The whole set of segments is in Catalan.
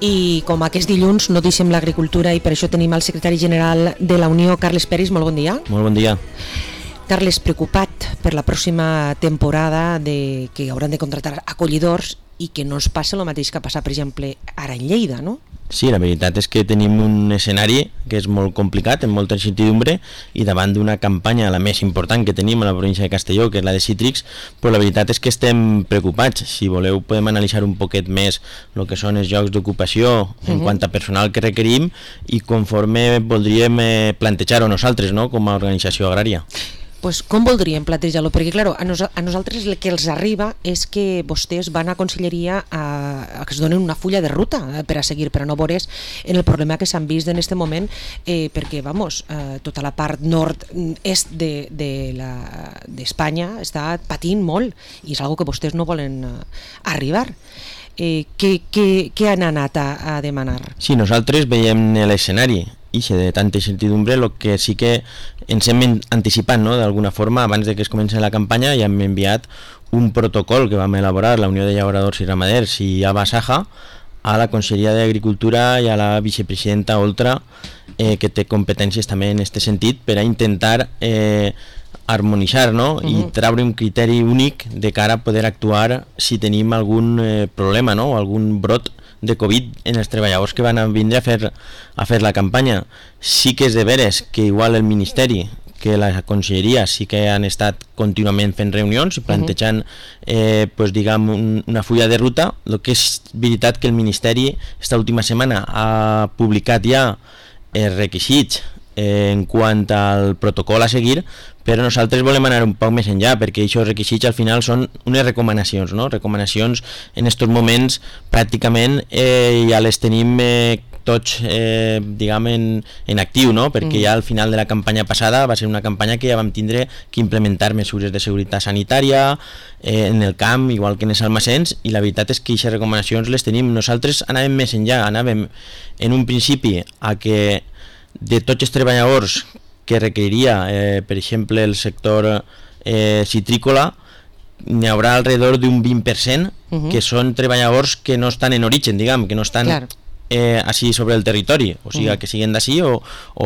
I com aquest dilluns no deixem l'agricultura i per això tenim el secretari general de la Unió, Carles Peris. Molt bon dia. Molt bon dia. Carles, preocupat per la pròxima temporada que hauran de contractar acollidors i que no es passa el mateix que ha passat, per exemple, ara en Lleida, no? Sí, la veritat és que tenim un escenari que és molt complicat, amb molta incertidumbre, i davant d'una campanya, la més important que tenim a la província de Castelló, que és la de cítrics, però la veritat és que estem preocupats. Si voleu podem analitzar un poquet més el que són els llocs d'ocupació en quant a personal que requerim i conforme voldríem plantejar-ho nosaltres, no?, com a organització agrària. Pues com voldríem plantejar-lo? Perquè, clar, a nosaltres el que els arriba és que vostès van a Conselleria a que es donen una fulla de ruta per a seguir, per a no veure's en el problema que s'han vist en aquest moment, perquè, tota la part nord-est d'Espanya està patint molt i és una que vostès no volen arribar. Què han anat a demanar? Sí, nosaltres veiem l'escenari i de tanta incertidumbre, el que sí que ens hem anticipat, no?, d'alguna forma, abans de que es comenci la campanya, ja hem enviat un protocol que vam elaborar la Unió de Llauradors i Ramaders i Abasaja a la Conselleria d'Agricultura i a la vicepresidenta Oltra, que té competències també en aquest sentit, per a intentar harmonitzar, no?, i treure un criteri únic de cara a poder actuar si tenim algun problema, no?, o algun brot de Covid en els treballadors que van a vindre a fer la campanya. Sí que és de veres que igual el Ministeri, que la Conselleria sí que han estat contínuament fent reunions i plantejant una fulla de ruta. El que és veritat que el Ministeri esta última setmana ha publicat ja els requisits en quant al protocol a seguir, però nosaltres volem anar un poc més enllà, perquè aquests requisits al final són unes recomanacions, no? Recomanacions en aquests moments pràcticament ja les tenim tots en actiu, no? Perquè ja al final de la campanya passada va ser una campanya que ja vam tindre que implementar mesures de seguretat sanitària en el camp, igual que en els almacens, i la veritat és que aquestes recomanacions les tenim. Nosaltres anàvem més enllà, anàvem en un principi a que de tots els treballadors que requeriria, per exemple, el sector citrícola, n'hi haurà alrededor d'un 20% que són treballadors que no estan en origen, diguem, que no estan així sobre el territori, o sigui, que siguin d'ací o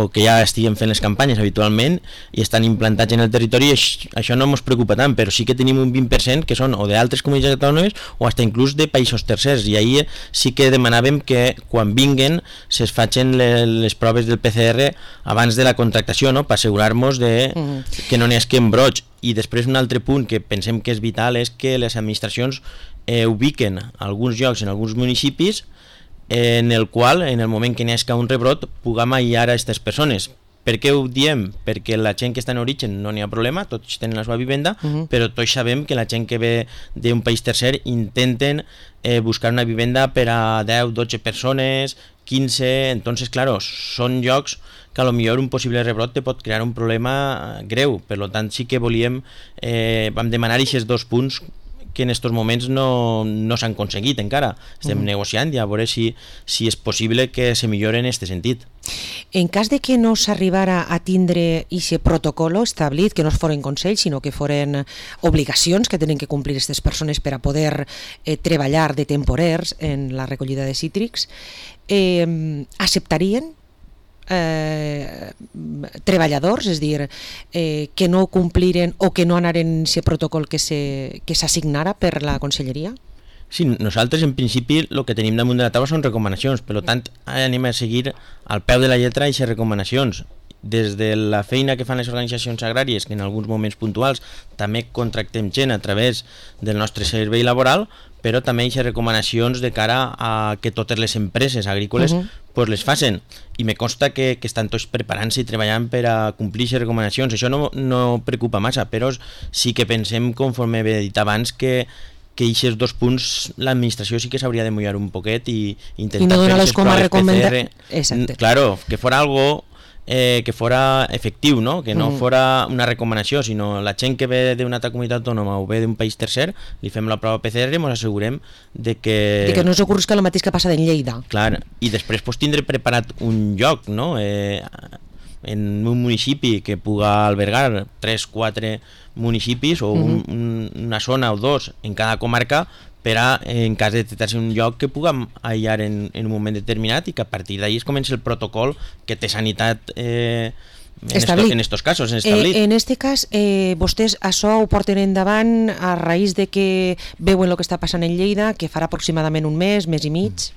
que ja estiguen fent les campanyes habitualment i estan implantats en el territori. Això no ens preocupa tant, però sí que tenim un 20% que són o d'altres comunitats autònomes o fins inclús de països tercers, i ahir sí que demanàvem que quan vinguen es facin les proves del PCR abans de la contractació, no?, per assegurar-nos que no n'hi hagi embrots. I després un altre punt que pensem que és vital és que les administracions ubiquen alguns llocs en alguns municipis en el qual, en el moment que n'hi hagi un rebrot, puguem aïllar a aquestes persones. Per què ho diem? Perquè la gent que està en origen no n'hi ha problema, tots tenen la seva vivenda, però tots sabem que la gent que ve d'un país tercer intenten buscar una vivenda per a 10, 12 persones, 15, entonces, claro, són llocs que a lo millor un possible rebrot te pot crear un problema greu. Per tant, sí que vam demanar aquests dos punts que en aquests moments no s'han aconseguit encara. Estem negociant i a veure si és possible que se millore en aquest sentit. En cas de que no s'arribara a tindre aquest protocol establit, que no es foren consells, sinó que foren obligacions que tenen que complir aquestes persones per a poder treballar de temporers en la recollida de cítrics, acceptarien treballadors, és a dir, que no compliren o que no anaren aquest protocol que s'assignara per la Conselleria? Sí, nosaltres en principi el que tenim damunt de la taula són recomanacions, per tant anem a seguir al peu de la lletra aquestes recomanacions. Des de la feina que fan les organitzacions agràries, que en alguns moments puntuals també contractem gent a través del nostre servei laboral, però també aquestes recomanacions de cara a que totes les empreses agrícoles les facin. I me consta que estan tots preparant-se i treballant per a complir aquestes recomanacions. Això no preocupa massa, però sí que pensem, conforme he dit abans, que aquests dos punts l'administració sí que s'hauria de mullar un poquet i intentar no donar-los com a PCR. Claro, que fora algo que fora efectiu, no? Que no fora una recomanació, sinó la gent que ve d'una altra comunitat autònoma o ve d'un país tercer, li fem la prova PCR i ens assegurem de que no s'ocorrisca el mateix que passa en Lleida. Clar, i després tindre preparat un lloc, no?, en un municipi que puga albergar 3-4 municipis o una zona o dos en cada comarca per a, en cas de detectar-se un lloc, que puguem aïllar en un moment determinat i que a partir d'ahí es comença el protocol que té sanitat en estos casos establit. En este cas, vostès això ho porten endavant a raïs de que veuen el que està passant en Lleida, que farà aproximadament un mes i mig.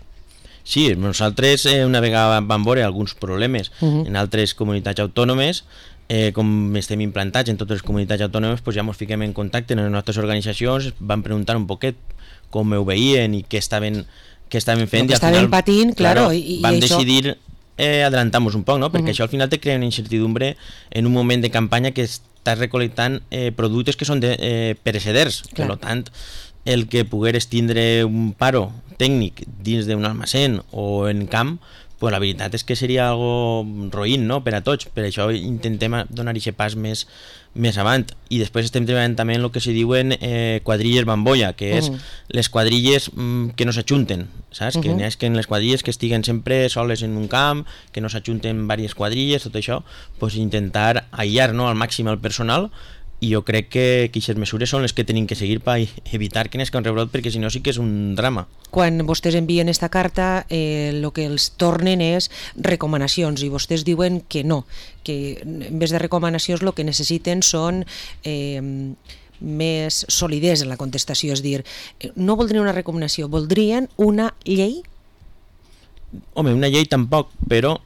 Sí, nosaltres una vegada vam veure alguns problemes en altres comunitats autònomes, com estem implantats en totes les comunitats autònomes, doncs ja ens fiquem en contacte amb les nostres organitzacions, vam preguntar un poquet com ho veien i què estaven fent, i al final patint, claro, vam decidir adelantar-nos un poc, no? Perquè això al final te crea una incertidumbre en un moment de campanya que estàs recolectant productes que són pereceders, per tant el que pogueres tindre un paro tècnic dins d'un almacén o en camp, pues la veritat és que seria algo roïn, no?, per a tots. Per això intentem donar aquest pas més avant. I després estem treballant també en el que se diuen quadrilles bambolla, que és les quadrilles que no s'ajunten, saps? Que n'hi ha que en les quadrilles que estiguen sempre soles en un camp, que no s'ajunten diverses quadrilles, tot això, pues intentar aïllar, no?, al màxim el personal. I jo crec que aquestes mesures són les que tenim que seguir per evitar que n'esca un rebrot, perquè si no sí que és un drama. Quan vostès envien esta carta, el que els tornen és recomanacions, i vostès diuen que no, que en vez de recomanacions el que necessiten són més solidesa en la contestació, és dir, no voldrien una recomanació, voldrien una llei? Home, una llei tampoc, però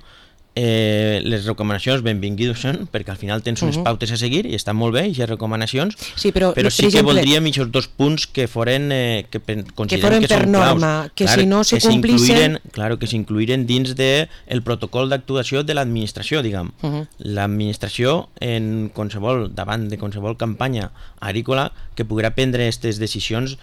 les recomanacions benvingudes són, perquè al final tens unes pautes a seguir i estan molt bé, aquestes recomanacions, sí, però sí que voldríem aquests 2 punts que foren que considerem que són norma, claus, que si no se complissin, que s'incluïren dins del protocol d'actuació de l'administració, diguem. L'administració davant de qualsevol campanya agrícola que poguera prendre aquestes decisions.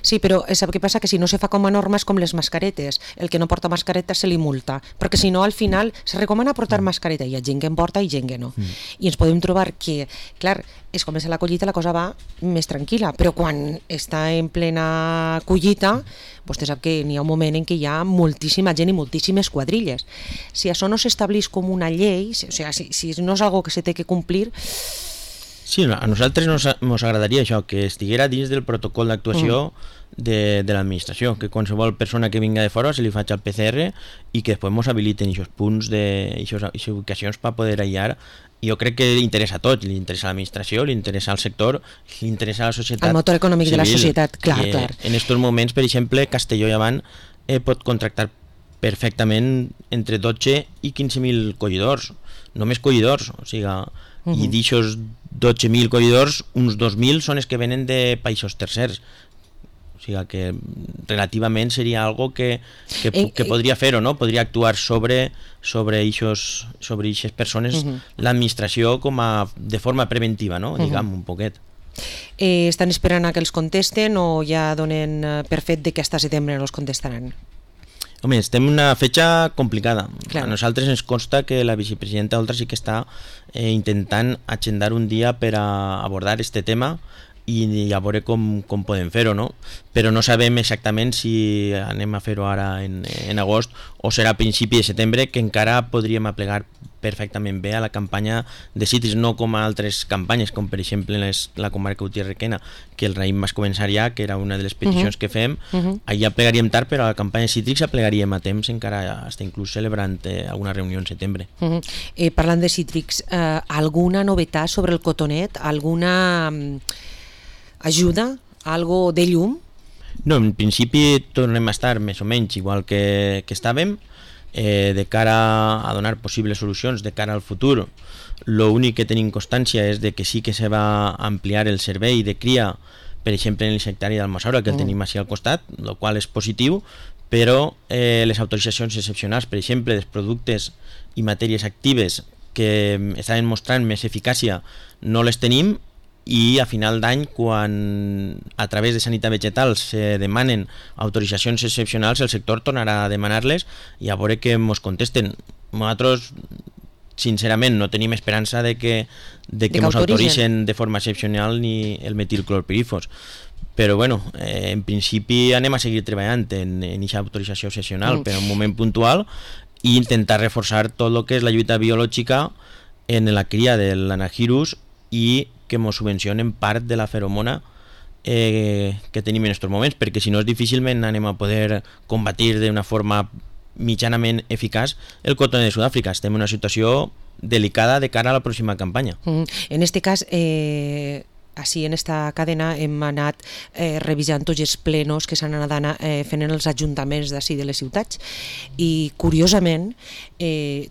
Sí, però sap què passa? Que si no se fa com a norma és com les mascaretes, el que no porta mascareta se li multa, perquè si no al final se recomana portar mascareta, hi ha gent que en porta i gent que no, i ens podem trobar que, clar, es comença la collita, la cosa va més tranquil·la, però quan està en plena collita, vostè sap que n'hi ha un moment en què hi ha moltíssima gent i moltíssimes quadrilles. Si això no s'estableix com una llei, o sigui, si no és algo que se té que complir. Sí, a nosaltres ens agradaria això, que estiguera dins del protocol d'actuació de l'administració, que qualsevol persona que vinga de fora se li faci el PCR i que després ens habiliten aquests punts, aquestes ubicacions per poder aïllar. Jo crec que li interessa a tots, li interessa a l'administració, li interessa al sector, li interessa a la societat civil. El motor econòmic de la societat, clar. En aquests moments, per exemple, Castelló i Avant pot contractar perfectament entre 12 i 15.000 collidors, només collidors, o sigui, i d'aixòs 12.000 collidors, uns 2.000 són els que venen de països tercers, o sigui que relativament seria algo que podria fer-ho, no? Podria actuar sobre aquestes persones l'administració de forma preventiva, no? Diguem, un poquet. Estan esperant a que els contesten o ja donen per fet de que hasta setembre no els contestaran? Home, estem en una fetxa complicada. Clar. A nosaltres ens consta que la vicepresidenta Oltra sí que està intentant agendar un dia per a abordar este tema i a veure com podem fer-ho, no? Però no sabem exactament si anem a fer-ho ara en agost o serà a principi de setembre, que encara podríem aplegar perfectament bé a la campanya de cítrics, no com a altres campanyes, com per exemple la comarca Utiel-Requena, que el raïm vas començar ja, que era una de les peticions que fem, allà plegaríem tard, però a la campanya de cítrics aplegaríem a temps, encara hasta inclús celebrant alguna reunió en setembre. Parlant de cítrics, alguna novetat sobre el cotonet? Alguna ajuda? Algo de llum? No, en principi tornem a estar més o menys igual que estàvem, de cara a donar possibles solucions de cara al futur. L'únic que tenim constància és de que sí que se va ampliar el servei de cria, per exemple en el sectari d'Almassora, que el tenim així al costat, el qual és positiu, però les autoritzacions excepcionals, per exemple, dels productes i matèries actives que estaven mostrant més eficàcia, no les tenim, i a final d'any, quan a través de sanitat vegetal se demanen autoritzacions excepcionals, el sector tornarà a demanar-les i a veure que ens contesten. Nosaltres, sincerament, no tenim esperança de que ens autoritzen de forma excepcional ni el metilclorpirifos. Però bueno, en principi anem a seguir treballant en aquesta autorització excepcional per a un moment puntual i intentar reforçar tot el que és la lluita biològica en la cria de l'anagirus i que ens subvencionen part de la feromona que tenim en aquests moments, perquè si no difícilment anem a poder combatir d'una forma mitjanament eficaç el cotoner de Sud-àfrica. Estem en una situació delicada de cara a la pròxima campanya. En este cas, així en esta cadena hem anat revisant tots els plenos que s'han anat fent en els ajuntaments d'ací de les ciutats i curiosament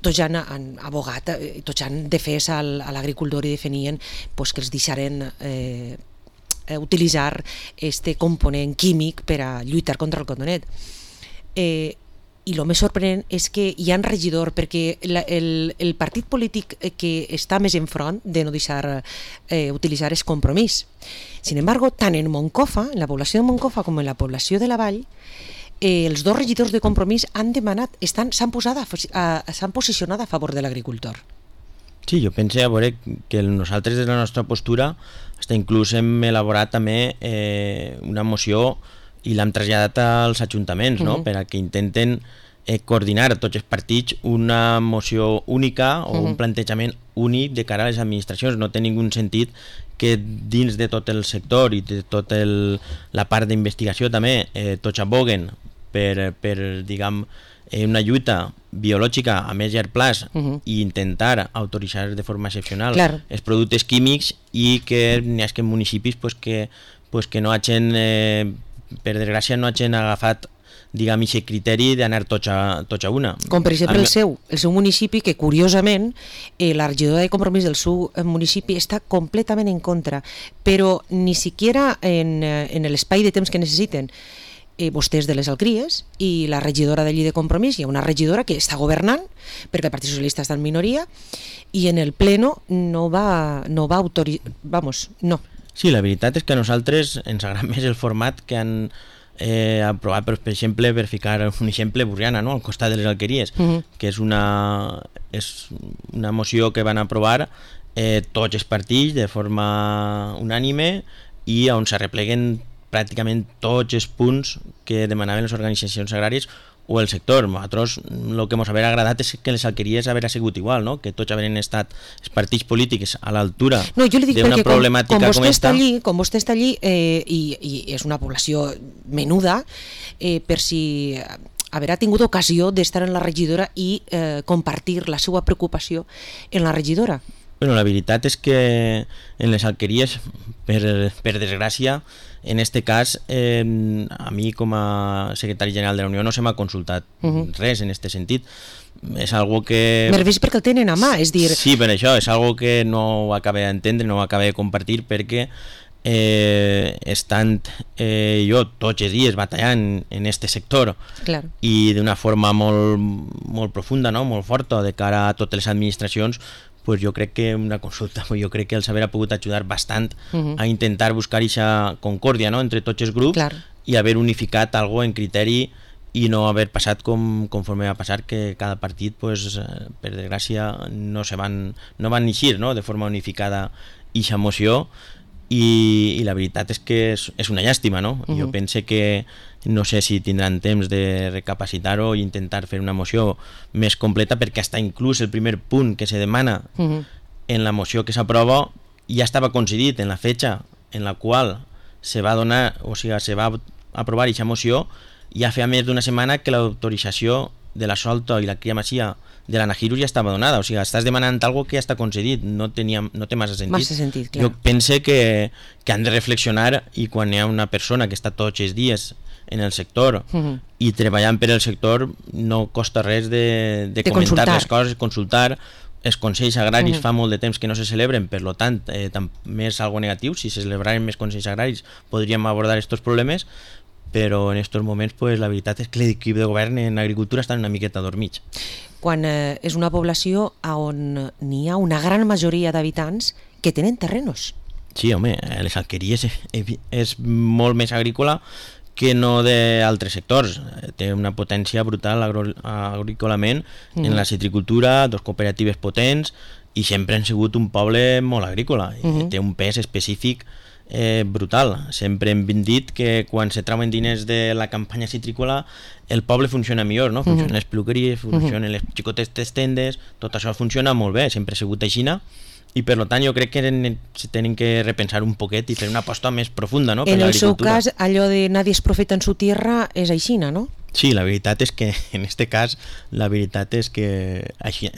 tots han abogat, tots han defès a l'agricultor i defenien pues, que els deixaren utilitzar este component químic per a lluitar contra el cotonet. I el més sorprenent és que hi ha un regidor, perquè el partit polític que està més enfront de no deixar utilitzar és Compromís. Sin embargo, tant en Moncofa, en la població de Moncofa com en la població de la Vall, els dos regidors de Compromís han demanat, s'han posicionat a favor de l'agricultor. Sí, jo penso a veure que nosaltres des de la nostra postura fins inclús hem elaborat també una moció i l'hem traslladat als ajuntaments, no? Per a que intenten coordinar tots els partits una moció única o un plantejament únic de cara a les administracions. No té ningú sentit que dins de tot el sector i de tota la part d'investigació també tots aboguen per diguem, una lluita biològica a més llarg plaç i intentar autoritzar de forma excepcional els productes químics i que n'hi ha municipis que no hagin per desgràcia no hagin agafat diguem aquest criteri d'anar tots a una. Com per exemple el seu municipi, que curiosament la regidora de Compromís del seu municipi està completament en contra, però ni siquiera en l'espai de temps que necessiten vostès de les Alcries i la regidora d'allí de Compromís, hi ha una regidora que està governant perquè el Partit Socialista està en minoria i en el pleno no va autoritzar, no. Sí, la veritat és que a nosaltres ens agrada més el format que han aprovat, per exemple, per ficar un exemple, Borriana, no? Al costat de les Alqueries, que és una moció que van aprovar tots els partits de forma unànime i on s'arrepleguen pràcticament tots els punts que demanaven les organitzacions agràries o el sector. Nosaltres el que ens hauria agradat és que les alqueries haguera sigut igual, no? Que tots haurien estat els partits polítics a l'altura d'una problemàtica com esta. Com vostè està allí i és una població menuda, per si haurà tingut ocasió d'estar en la regidora i compartir la seva preocupació en la regidora. Bueno, la veritat és que en les alqueries, per desgràcia, en este cas, a mi com a secretari general de la Unió no se m'ha consultat res en este sentit. És algo que... M'he vist perquè el tenen a mà, és dir... Sí, per això, és algo que no ho acabé d'entendre, no ho acabé de compartir, perquè estant jo tots els dies batallant en este sector i d'una forma molt profunda, no? Molt forta de cara a totes les administracions, pues jo crec que una consulta, jo crec que els haurà pogut ajudar bastant a intentar buscar aquesta concòrdia, no? Entre tots els grups i haver unificat algo en criteri i no haver passat conforme va passar, que cada partit, pues, per desgràcia, no van eixir, no? De forma unificada aquesta moció i la veritat és que és una llàstima, no? Jo pense que no sé si tindran temps de recapacitar-ho i intentar fer una moció més completa, perquè hasta inclús el primer punt que se demana en la moció que s'aprova ja estava coincidit en la fetxa en la qual se va donar, o sigui, se va aprovar aquesta moció ja feia més d'una setmana que l'autorització de la solta i la cria masia de l'Anahirus ja estava donada, o sigui, estàs demanant algo que ja està concedit, no té massa sentit. Jo pense que han de reflexionar i quan hi ha una persona que està tots els dies en el sector i treballant per el sector no costa res de comentar les coses, consultar. Els consells agraris fa molt de temps que no se celebren, per tant també és algo negatiu. Si se celebraren més consells agraris podríem abordar aquests problemes, però en aquests moments la veritat és que l'equip de govern en agricultura està una miqueta dormits. Quan és una població on n'hi ha una gran majoria d'habitants que tenen terrenos. Sí, home, les alqueries és molt més agrícola que no d'altres sectors. Té una potència brutal agrícolament en la citricultura, dos cooperatives potents i sempre han sigut un poble molt agrícola i té un pes específic brutal. Sempre hem dit que quan se trauen diners de la campanya citrícola el poble funciona millor, no? Funcionen les peluqueries, funcionen les xicotetes tendes, tot això funciona molt bé, sempre ha sigut així i per tant jo crec que se tenen que repensar un poquet i fer una aposta més profunda, no? En el seu cas, allò de nadie es profeta en su tierra és aixina, no? Sí, la veritat és que en este cas la veritat és que així,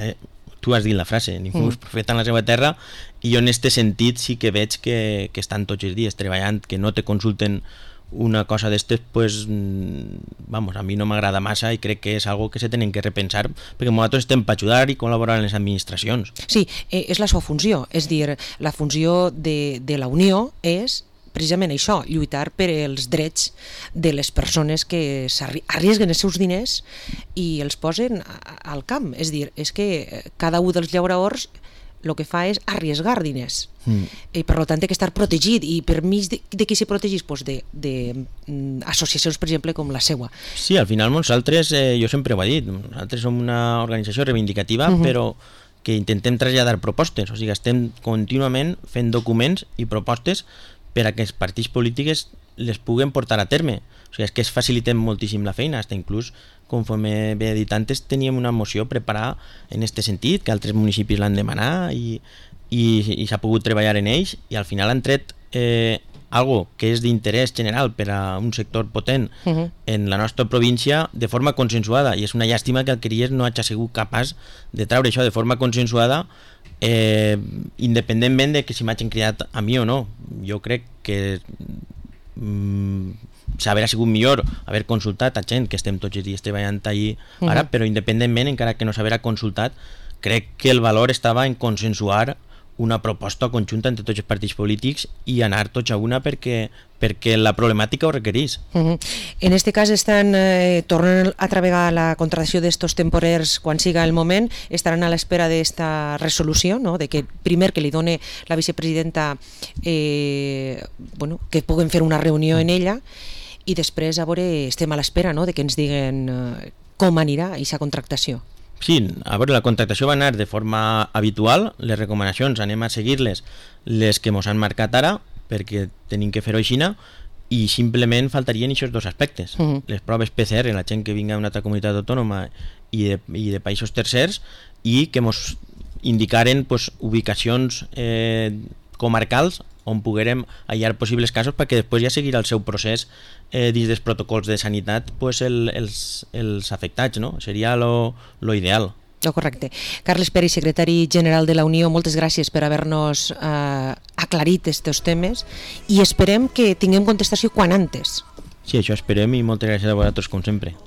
tu has dit la frase, ningú és profeta en la seva terra, i jo en este sentit sí que veig que estan tots els dies treballant, que no te consulten una cosa d'estes, pues, vamos, a mi no m'agrada massa i crec que és algo que se tenen que repensar perquè nosaltres estem per ajudar i col·laborar en les administracions. Sí, és la seva funció, és dir, la funció de la Unió és precisament això, lluitar per els drets de les persones que arriesguen els seus diners i els posen al camp, és dir, és que cada un dels llauradors el que fa és arriesgar diners i per tant té que estar protegit, i per mig de qui s'hi protegís? Pues d'associacions, per exemple, com la seua. Sí, al final nosaltres, jo sempre ho he dit, nosaltres som una organització reivindicativa, però que intentem traslladar propostes, o sigui, estem contínuament fent documents i propostes per a que els partits polítics les puguen portar a terme. O sigui, és que es facilitem moltíssim la feina, fins inclús, conforme ve dit antes, teníem una moció preparada en aquest sentit, que altres municipis l'han demanat i s'ha pogut treballar en ells, i al final han tret algo que és d'interès general per a un sector potent en la nostra província de forma consensuada, i és una llàstima que Alqueries no hagi sigut capaç de treure això de forma consensuada, independentment de que si m'hagin cridat a mi o no. Jo crec que s'haurà sigut millor haver consultat a gent que estem tots els dies treballant allí ara, però independentment, encara que no s'haurà consultat, crec que el valor estava en consensuar una proposta conjunta entre tots els partits polítics i anar tots a una perquè la problemàtica ho requereix. En este cas tornen a treballar la contractació d'estos temporers quan siga el moment, estaran a l'espera d'esta resolució, no? De que primer que li done la vicepresidenta que puguen fer una reunió en ella, i després a veure, estem a l'espera, no? De que ens diguen com anirà aquesta contractació. Sí, a veure, la contractació va anar de forma habitual, les recomanacions anem a seguir-les, les que ens han marcat ara, perquè tenim que fer-ho així, i simplement faltarien aquests dos aspectes. Les proves PCR, la gent que vinga d'una altra comunitat autònoma i de països tercers, i que ens indicaren ubicacions comarcals on poguérem hallar possibles casos perquè després ja seguirà el seu procés dins dels protocols de sanitat els afectats, no? Seria lo ideal. Correcte. Carles Peri, secretari general de la Unió, moltes gràcies per haver-nos aclarit aquests temes i esperem que tinguem contestació quan antes. Sí, això esperem, i moltes gràcies a vosaltres com sempre.